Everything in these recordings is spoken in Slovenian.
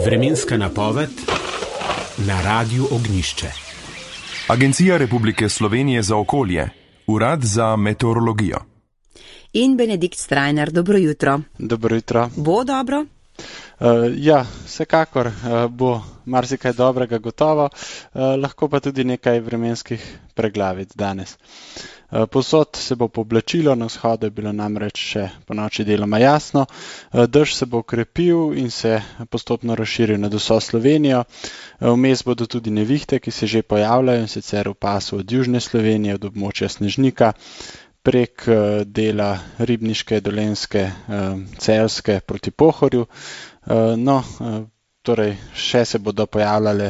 Vremenska napoved na Radiu Ognjišče. Agencija Republike Slovenije za okolje, Urad za meteorologijo. In Benedikt Strajnar, dobro jutro. Dobro jutro. Bo dobro? Ja, vsekakor bo marsikaj dobrega gotovo, lahko pa tudi nekaj vremenskih preglavic danes. Povsod se bo pooblačilo, na vzhodu je bilo namreč še ponoči deloma jasno, dež se bo okrepil in se postopno razširil nad vso Slovenijo. Vmes bodo tudi nevihte, ki se že pojavljajo, in sicer v pasu od južne Slovenije, od območja Snežnika, prek dela Ribniške, Dolenjske, Celjske proti Pohorju. Torej še se bodo pojavljale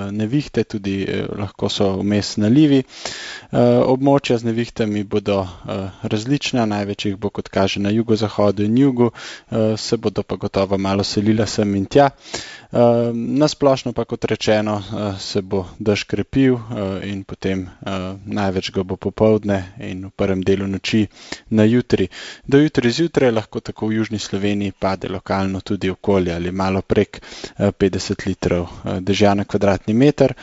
nevihte, tudi lahko so vmes nalivi. Območja z nevihtami bodo različna, največ jih bo, kot kaže, na jugozahodu in jugu, se bodo pa gotovo malo selila sem in tja. Na splošno pa, kot rečeno, se bo dež krepil in potem največ ga bo popoldne in v prvem delu noči na jutri. Do jutri zjutraj lahko tako v južni Sloveniji pade lokalno tudi okolje ali malo prek 50 litrov dežja na kvadratni meter.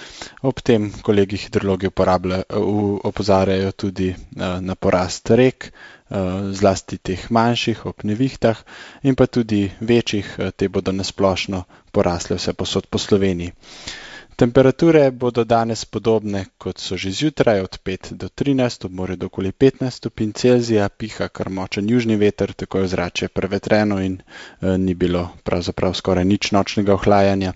Ob tem kolegi hidrologi opozarjajo tudi na porast rek, zlasti teh manjših ob nevihtah in pa tudi večjih, te bodo nasplošno porasle vse povsod po Sloveniji. Temperature bodo danes podobne, kot so že zjutraj, od 5 do 13, ob morju do okoli 15 stopinj Celzija, piha kar močen južni veter, tako je ozračje prevetreno in ni bilo pravzaprav skoraj nič nočnega ohlajanja.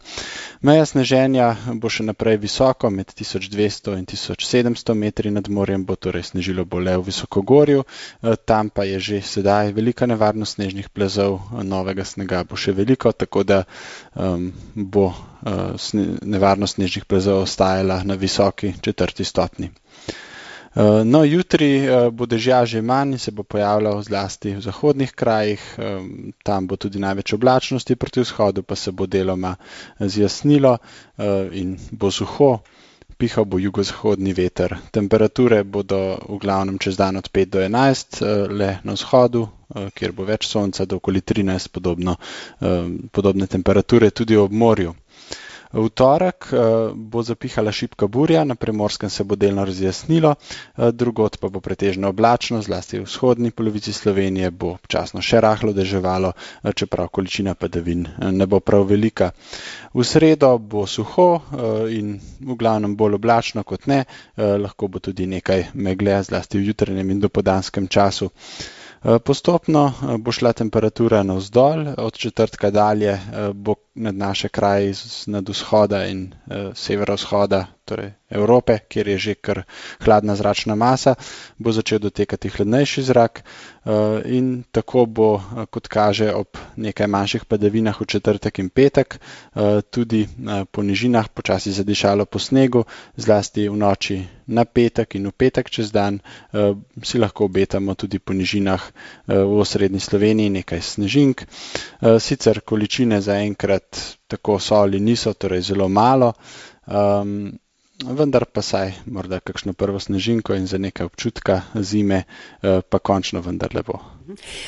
Meja sneženja bo še naprej visoko, med 1200 in 1700 metri nad morjem bo torej snežilo bo le v visokogorju, tam pa je že sedaj velika nevarnost snežnih plazov, novega snega bo še veliko, tako da bo nevarnost snežnih plazov ostajala na visoki 4. stopnji. Jutri bo dežja že manj in se bo pojavljal zlasti v zahodnih krajih, tam bo tudi največ oblačnosti, proti vzhodu pa se bo deloma zjasnilo in bo suho, pihal bo jugozahodni veter. Temperature bodo v glavnem čez dan od 5 do 11, le na vzhodu, kjer bo več sonca, do okoli 13, podobne temperature tudi ob morju. V torek bo zapihala šibka burja, na Primorskem se bo delno razjasnilo, drugod pa bo pretežno oblačno, zlasti v vzhodni polovici Slovenije bo občasno še rahlo deževalo, čeprav količina padavin ne bo prav velika. V sredo bo suho in v glavnem bolj oblačno kot ne, lahko bo tudi nekaj megle, zlasti v jutranjem in dopoldanskem času. Postopno bo šla temperatura navzdol, od četrtka dalje bo nad naše kraje nad vzhoda in severovzhoda, torej Evrope, kjer je že kar hladna zračna masa, bo začel dotekati hladnejši zrak in tako bo, kot kaže, ob nekaj manjših padavinah v četrtek in petek, tudi po nižinah počasi zadišalo po snegu, zlasti v noči na petek in v petek čez dan si lahko obetamo tudi po nižinah v osrednji Sloveniji nekaj snežink. Sicer količine zaenkrat tako so ali niso, torej zelo malo, vendar pa saj morda kakšno prvo snežinko in za nekaj občutka zime pa končno vendarle bo.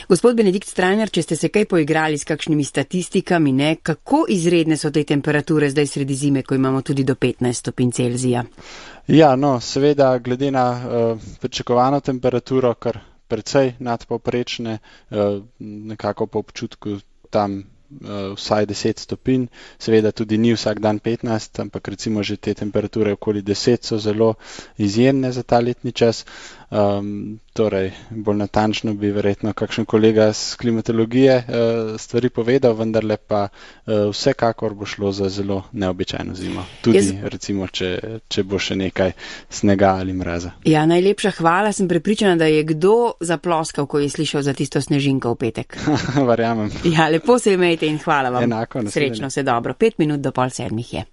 Gospod Benedikt Strajnar, če ste se kaj poigrali s kakšnimi statistikami, kako izredne so te temperature zdaj sredi zime, ko imamo tudi do 15 stopinj Celzija? Ja, seveda glede na pričakovano temperaturo, kar precej nadpovprečne, nekako po občutku tam vsaj 10 stopinj, seveda tudi ni vsak dan 15, ampak recimo že te temperature okoli 10 so zelo izjemne za ta letni čas. Torej, bolj natančno bi verjetno kakšen kolega z klimatologije stvari povedal, vendarle pa vsekakor bo šlo za zelo neobičajno zimo. Tudi recimo, če bo še nekaj snega ali mraza. Ja, najlepša hvala, sem prepričana, da je kdo zaploskal, ko je slišal za tisto snežinko v petek. Verjamem. Ja, lepo se imejte in hvala vam. Enako, srečno se dobro. 5 minut do 6:30 je.